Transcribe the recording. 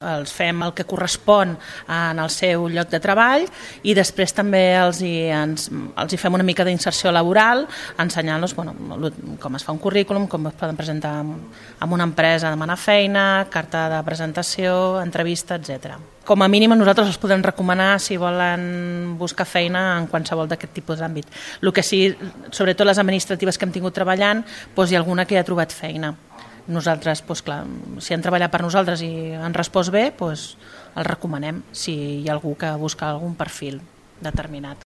els fem el que correspon en el seu lloc de treball i després també els hi fem una mica d'inserció laboral, ensenyant-los com es fa un currículum, com es poden presentar en una empresa, demanar feina, carta de presentació, entrevista, etc. Com a mínim nosaltres els podem recomanar si volen buscar feina en qualsevol d'aquest tipus d'àmbit. El que sí, sobretot les administratives que hem tingut treballant, hi ha alguna que ja ha trobat feina. Nosaltres, si han treballat per nosaltres i han respost bé, els recomanem si hi ha algú que busca algun perfil determinat.